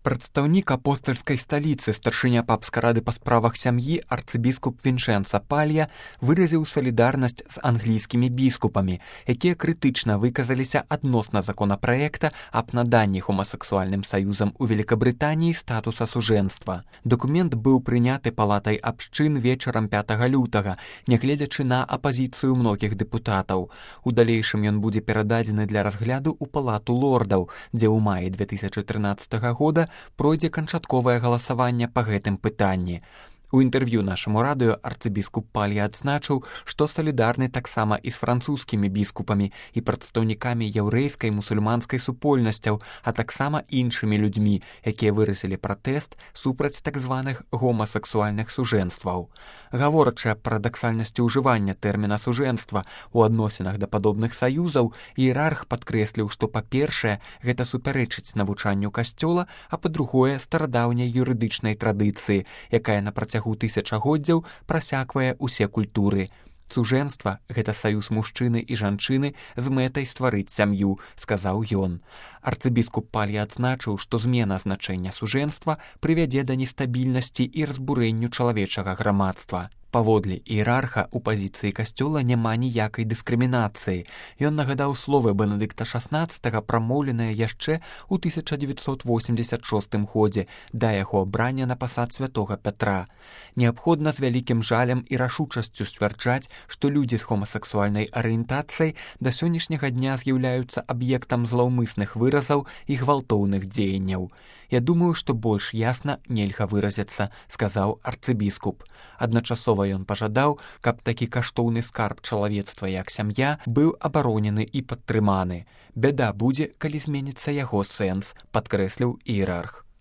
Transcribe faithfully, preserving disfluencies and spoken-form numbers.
Прадстаўнік апостальскай сталіцы, старшыня папскай рады па справах сям'і арцыбіскуп Вінчэнца Палья выразіў салідарнасць з англійскімі біскупамі, якія крытычна выказаліся адносна законапраекта аб наданні гомасексуальным саюзам у Великабрытаніі статуса сужэнства. Дакумент быў прыняты палатай абшчын вечарам пятага лютага, нягледзячы на апазіцыю многіх дэпутатаў. У далейшым ён будзе перададзены для разгляду ў палату лордаў, дзе ў маі две тысячы трынаццатага года пройдзе канчатковае галасаванне па гэтым пытанні. У інтэрв'ю нашаму радыё арцыбіскуп Палья адзначыў, што салідарны таксама і з французскімі біскупамі і прадстаўнікамі яўрэйскай мусульманскай супольнасцяў, а таксама іншымі людзьмі, якія выразілі пратэст супраць так званых гомасексуальных сужэнстваў. Гаворачы аб парадаксальнасці ўжывання тэрміна сужэнства ў адносінах да падобных саюзаў, іерарх падкрэсліў, што, па-першае, гэта супярэчыць навучанню касцёла, а па-другое, старадаўняй юрыдычнай традыцыі, якая на працягу тысячагоддзяў прасяквае ўсе культуры. Сужэнства – гэта саюз мужчыны і жанчыны з мэтай стварыць сям'ю, сказаў ён. Арцыбіскуп Палья адзначыў, што змена значэння сужэнства прывядзе да нестабільнасці і разбурэнню чалавечага грамадства. Паводле іерарха у пазіцыі касцёла няма ніякай дыскрымінацыі. Ён нагадаў словы Бенедыкта шаснаццатага, прамоўленыя яшчэ ў тысяча дзевяцьсот восемдзесят шостым годзе да яго абрання на пасад святога Пятра. Неабходна з вялікім жалем і рашучасцю сцвярджаць, што людзі з гомасексуальнай арыентацыяй да сённяшняга дня з'яўляюцца аб'ектам злаўмысных выразаў і гвалтоўных дзеянняў. Я думаю, што больш ясна нельга выразіцца, сказаў арцыбіскуп. Адначасова ён пажадаў, каб такі каштоўны скарб чалавецтва, як сям'я, быў абаронены і падтрыманы. Бяда будзе, калі зменіцца яго сэнс, падкрэсліў іерарх.